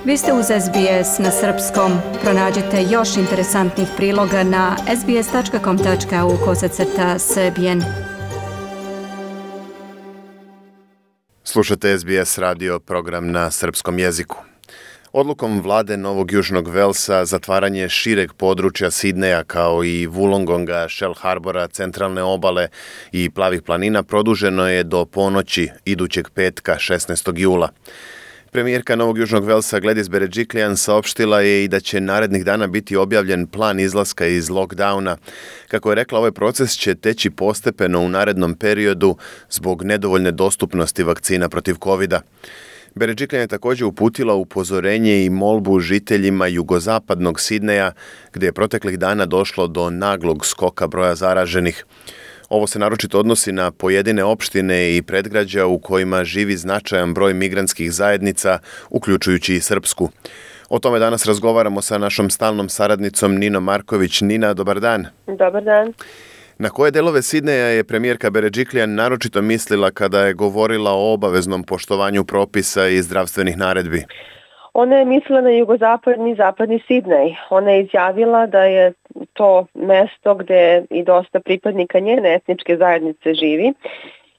Vi ste uz SBS na srpskom. Pronađite još interesantnih priloga na sbs.com.au/srbijen. Slušate SBS radio program na srpskom jeziku. Odlukom vlade Novog Južnog Velsa zatvaranje šireg područja Sidneja kao i Wollongonga, Shell Harbora, Centralne obale i Plavih planina produženo je do ponoći idućeg petka 16. jula. Premijerka Novog Južnog Velsa Gladys Berejiklian saopštila je i da će narednih dana biti objavljen plan izlaska iz lockdowna. Kako je rekla, ovaj proces će teći postepeno u narednom periodu zbog nedovoljne dostupnosti vakcina protiv covida. Berejiklian je također uputila upozorenje i molbu žiteljima jugozapadnog Sidneja, gdje je proteklih dana došlo do naglog skoka broja zaraženih. Ovo se naročito odnosi na pojedine opštine i predgrađa u kojima živi značajan broj migrantskih zajednica, uključujući i srpsku. O tome danas razgovaramo sa našom stalnom saradnicom Ninom Marković. Nina, dobar dan. Dobar dan. Na koje delove Sidneja je premijerka Berejiklian naročito mislila kada je govorila o obaveznom poštovanju propisa i zdravstvenih naredbi? Ona je mislila na jugozapadni i zapadni Sidnej. Ona je izjavila da je to mesto gdje i dosta pripadnika njene etničke zajednice živi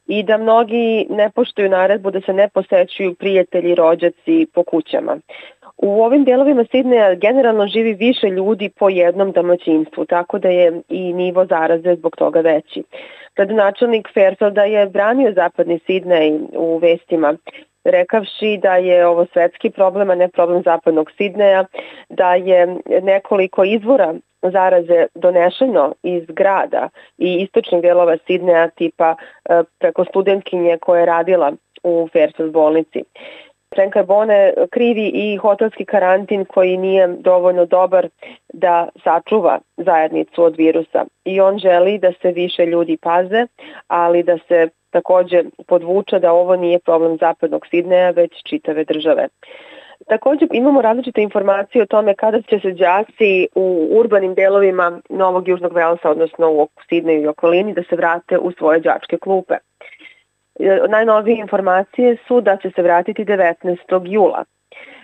i da mnogi ne poštuju naredbu da se ne posećuju prijatelji i rođaci po kućama. U ovim delovima Sidneja generalno živi više ljudi po jednom domaćinstvu, tako da je i nivo zaraze zbog toga veći. Gradonačelnik Fairfielda je branio zapadni Sidnej u vestima, rekavši da je ovo svetski problem, a ne problem zapadnog Sidneja, da je nekoliko izvora zaraze donešeno iz grada i istočnih delova Sidneja, tipa preko studentkinje koja je radila u Fairfield bolnici. Frank Carbone krivi i hotelski karantin koji nije dovoljno dobar da sačuva zajednicu od virusa. I on želi da se više ljudi paze, ali da se također podvuče da ovo nije problem zapadnog Sidneja, već čitave države. Također imamo različite informacije o tome kada će se đaci u urbanim delovima Novog Južnog Velsa, odnosno u Sidneju i okolini, da se vrate u svoje đačke klupe. Najnovije informacije su da će se vratiti 19. jula.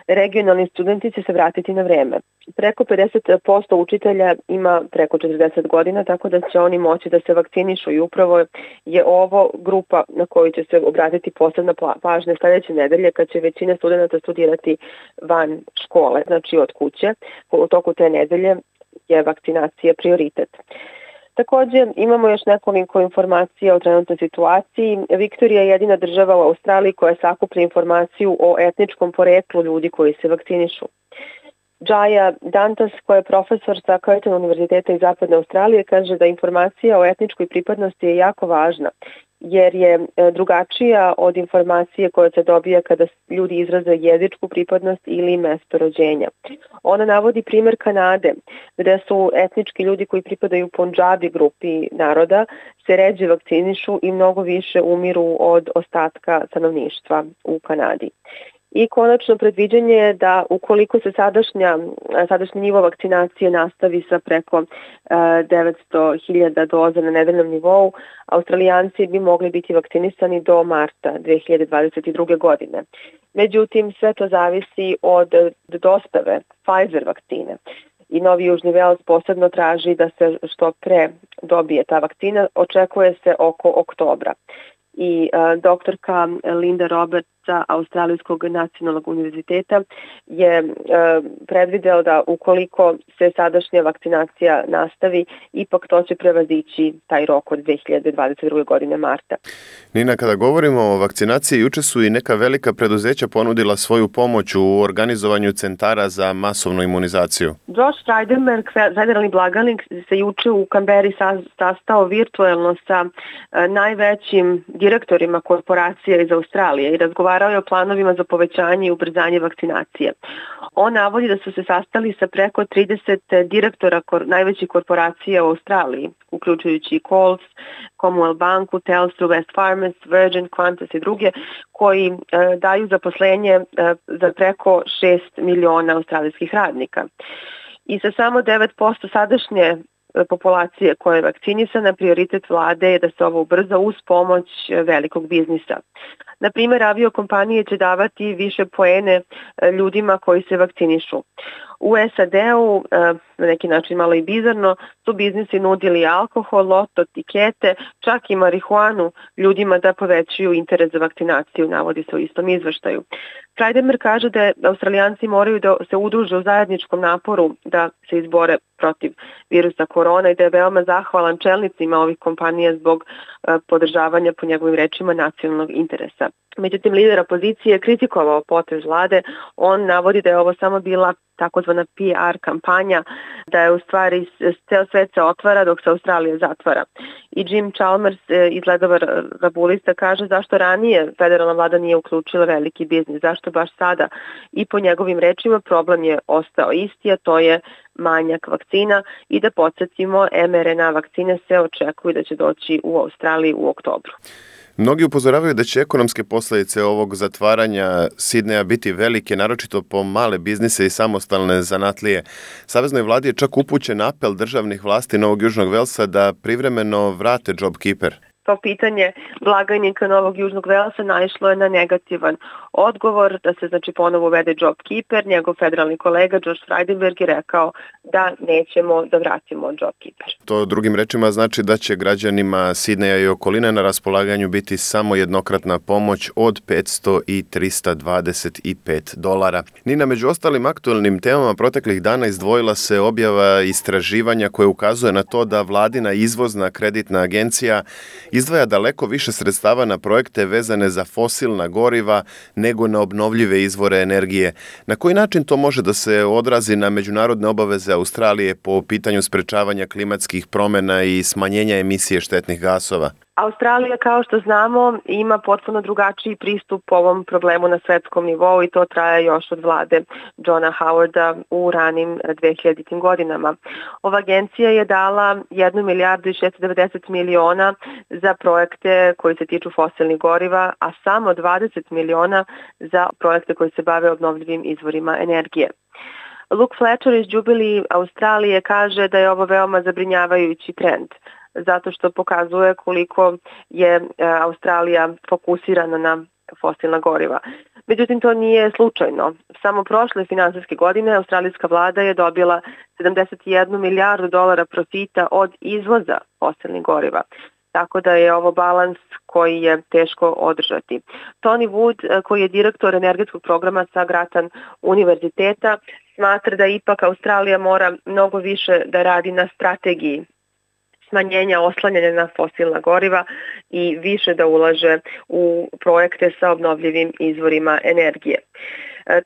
Regionalni studenti će se vratiti na vreme. Preko 50% učitelja ima preko 40 godina, tako da će oni moći da se vakcinišu i upravo je ovo grupa na koju će se obratiti posebna pažnja sljedeće nedelje kad će većina studenta studirati van škole, znači od kuće. U toku te nedelje je vakcinacija prioritet. Također imamo još nekoliko informacija o trenutnoj situaciji. Viktorija je jedina država u Australiji koja sakuplja informaciju o etničkom poreklu ljudi koji se vakcinišu. Jaya Dantas, koja je profesor sa Curtin univerziteta iz Zapadne Australije, kaže da informacija o etničkoj pripadnosti je jako važna, jer je drugačija od informacije koja se dobija kada ljudi izraze jezičku pripadnost ili mesto rođenja. Ona navodi primjer Kanade, gdje su etnički ljudi koji pripadaju Punjabi grupi naroda se ređe vakcinišu i mnogo više umiru od ostatka stanovništva u Kanadi. I konačno predviđanje je da ukoliko se sadašnji nivo vakcinacije nastavi sa preko 900.000 doza na nedeljnom nivou, Australijanci bi mogli biti vakcinisani do marta 2022. godine. Međutim, sve to zavisi od dostave Pfizer vakcine. I Novi Južni Vels posebno traži da se što pre dobije ta vakcina, očekuje se oko oktobra. I doktorka Linda Roberts sa Australijskog nacionalnog univerziteta je predvidela da ukoliko se sadašnja vakcinacija nastavi, ipak to će prevazići taj rok od 2022. godine marta. Nina, kada govorimo o vakcinaciji, juče su i neka velika preduzeća ponudila svoju pomoć u organizovanju centara za masovnu imunizaciju. Josh Frydenberg, federalni blagajnik, se juče u Kamberi sastao virtuelno sa najvećim direktorima korporacija iz Australije i razgovarao je o planovima za povećanje i ubrzanje vakcinacije. On navodi da su se sastali sa preko 30 direktora najvećih korporacija u Australiji, uključujući i Coles, Commonwealth Banku, Telstra, West Farmers, Virgin, Qantas i druge, koji daju zaposlenje za preko 6 miliona australijskih radnika. I sa samo 9% sadašnje populacije koja je vakcinisana, prioritet vlade je da se ovo ubrza uz pomoć velikog biznisa. Na primjer, aviokompanije će davati više poene ljudima koji se vakcinišu. U SAD-u, na neki način malo i bizarno, su biznisi nudili alkohol, loto, tikete, čak i marihuanu ljudima da povećaju interes za vakcinaciju, navodi se u istom izveštaju. Freidenberg kaže da Australijanci moraju da se udruže u zajedničkom naporu da se izbore protiv virusa korona i da je veoma zahvalan čelnicima ovih kompanija zbog podržavanja, po njegovim rečima, nacionalnog interesa. Međutim, lider opozicije je kritikovao potez vlade. On navodi da je ovo samo bila takozvana PR kampanja, da je u stvari ceo svet se otvara dok se Australija zatvara. I Jim Chalmers iz Ledova Rabulista kaže zašto ranije federalna vlada nije uključila veliki biznis, zašto baš sada. I po njegovim rečima problem je ostao isti, a to je manjak vakcina i da podsjetimo, mRNA vakcine se očekuju da će doći u Australiji u oktobru. Mnogi upozoravaju da će ekonomske posljedice ovog zatvaranja Sidneja biti velike, naročito po male biznise i samostalne zanatlije. Saveznoj vladi je čak upućen apel državnih vlasti Novog Južnog Velsa da privremeno vrate JobKeeper. To pitanje blagajnika Novog Južnog Velsa naišlo je na negativan odgovor da se ponovo uvede JobKeeper. Njegov federalni kolega Josh Freidenberg je rekao da nećemo da vratimo JobKeeper. To drugim rečima znači da će građanima Sidneja i okoline na raspolaganju biti samo jednokratna pomoć od $500 i $325. Nina, među ostalim aktualnim temama proteklih dana izdvojila se objava istraživanja koje ukazuje na to da vladina izvozna kreditna agencija izdvaja daleko više sredstava na projekte vezane za fosilna goriva nego na obnovljive izvore energije. Na koji način to može da se odrazi na međunarodne obaveze Australije po pitanju sprečavanja klimatskih promjena i smanjenja emisije štetnih gasova? Australija, kao što znamo, ima potpuno drugačiji pristup ovom problemu na svetskom nivou i to traje još od vlade Johna Howarda u ranim 2000. godinama. Ova agencija je dala 1 milijardu i 690 miliona za projekte koji se tiču fosilnih goriva, a samo 20 miliona za projekte koji se bave obnovljivim izvorima energije. Luke Fletcher iz Jubilee Australije kaže da je ovo veoma zabrinjavajući trend, zato što pokazuje koliko je Australija fokusirana na fosilna goriva. Međutim, to nije slučajno. Samo prošle finansijske godine australijska vlada je dobila $71 milijardu profita od izvoza fosilnih goriva. Tako da je ovo balans koji je teško održati. Tony Wood, koji je direktor energetskog programa sa Grattan univerziteta, smatra da ipak Australija mora mnogo više da radi na strategiji smanjenja oslanjanja na fosilna goriva i više da ulaže u projekte sa obnovljivim izvorima energije.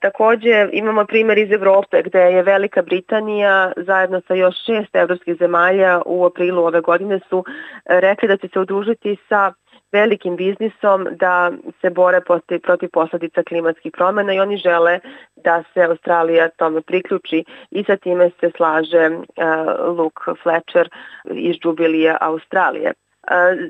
Također imamo primjer iz Evrope gdje je Velika Britanija zajedno sa još 6 evropskih zemalja u aprilu ove godine su rekli da će se udružiti sa velikim biznisom da se bore protiv posljedica klimatskih promjena i oni žele da se Australija tome priključi i sa time se slaže Luke Fletcher iz Jubilee Australije.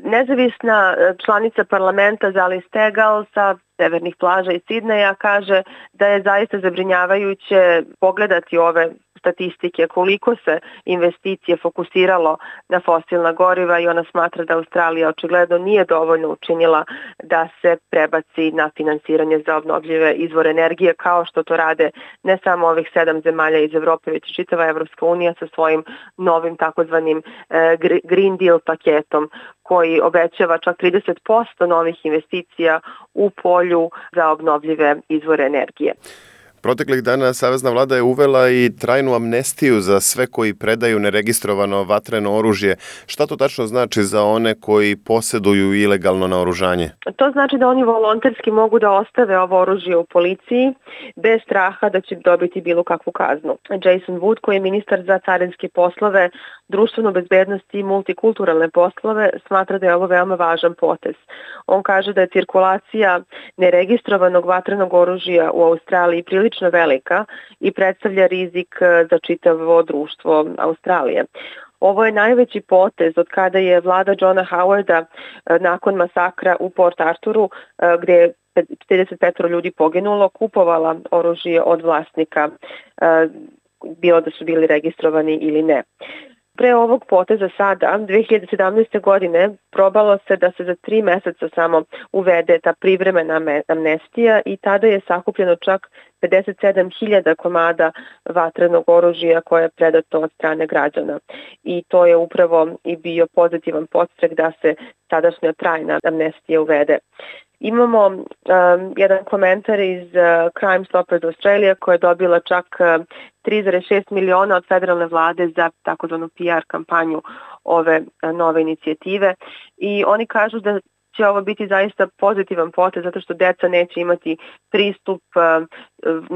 Nezavisna članica parlamenta Zali Steggall sa severnih plaža iz Sidneja kaže da je zaista zabrinjavajuće pogledati ove statistike koliko se investicije fokusiralo na fosilna goriva i ona smatra da Australija očigledno nije dovoljno učinila da se prebaci na finansiranje za obnovljive izvore energije kao što to rade ne samo ovih 7 zemalja iz Evrope, već i čitava Evropska unija sa svojim novim takozvanim Green Deal paketom koji obećava čak 30% novih investicija u polju za obnovljive izvore energije. Proteklih dana savezna vlada je uvela i trajnu amnestiju za sve koji predaju neregistrovano vatreno oružje. Šta to tačno znači za one koji posjeduju ilegalno naoružanje? To znači da oni volonterski mogu da ostave ovo oružje u policiji bez straha da će dobiti bilo kakvu kaznu. Jason Wood, koji je ministar za carinske poslove, društvenu bezbednost i multikulturalne poslove, smatra da je ovo veoma važan potez. On kaže da je cirkulacija neregistrovanog vatrenog oružja u Australiji prilično velika i predstavlja rizik za čitavo društvo Australije. Ovo je najveći potez od kada je vlada Johna Howarda nakon masakra u Port Arturu, gdje je 55 ljudi poginulo, kupovala oružje od vlasnika, bilo da su bili registrovani ili ne. pre ovog poteza sada, 2017. godine, probalo se da se za 3 meseca samo uvede ta privremena amnestija i tada je sakupljeno čak 57.000 komada vatrenog oružja koje je predato od strane građana. I to je upravo i bio pozitivan podstrek da se sadašnja trajna amnestija uvede. Imamo jedan komentar iz Crime Stoppers Australia koja je dobila čak 3,6 miliona od federalne vlade za takozvanu PR kampanju ove nove inicijative i oni kažu da će ovo biti zaista pozitivan potez zato što deca neće imati pristup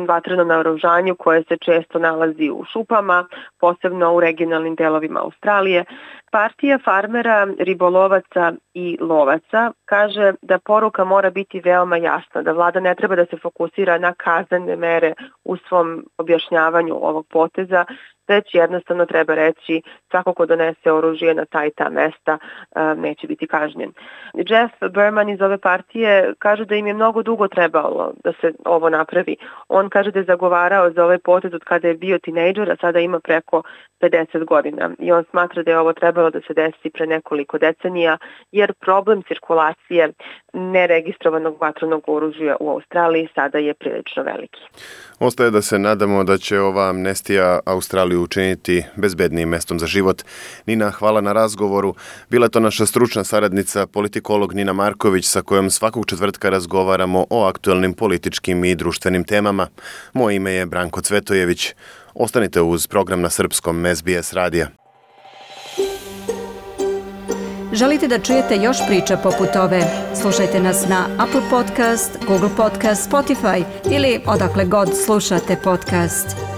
vatrenom naoružanju koje se često nalazi u šupama, posebno u regionalnim delovima Australije. Partija farmera, ribolovaca i lovaca kaže da poruka mora biti veoma jasna, da vlada ne treba da se fokusira na kaznene mere u svom objašnjavanju ovog poteza, već jednostavno treba reći svako ko donese oružje na ta i ta mesta neće biti kažnjen. Jeff Berman iz ove partije kaže da im je mnogo dugo trebalo da se ovo napravi. On kaže da je zagovarao za ovaj potez od kada je bio tinejdžer, a sada ima preko 50 godina. I on smatra da je ovo trebalo da se desi pre nekoliko decenija, jer problem cirkulacije neregistrovanog vatrenog oružja u Australiji sada je prilično veliki. Ostaje da se nadamo da će ova amnestija Australiju učiniti bezbednijim mestom za život. Nina, hvala na razgovoru. Bila je to naša stručna saradnica, politikolog Nina Marković, sa kojom svakog četvrtka razgovaramo o aktuelnim političkim i društvenim temama. Moje ime je Branko Cvetojević. Ostanite uz program na srpskom SBS radija. Želite da čujete još priča poput ove? Slušajte nas na Apple Podcast, Google Podcast, Spotify ili odakle god slušate podcast.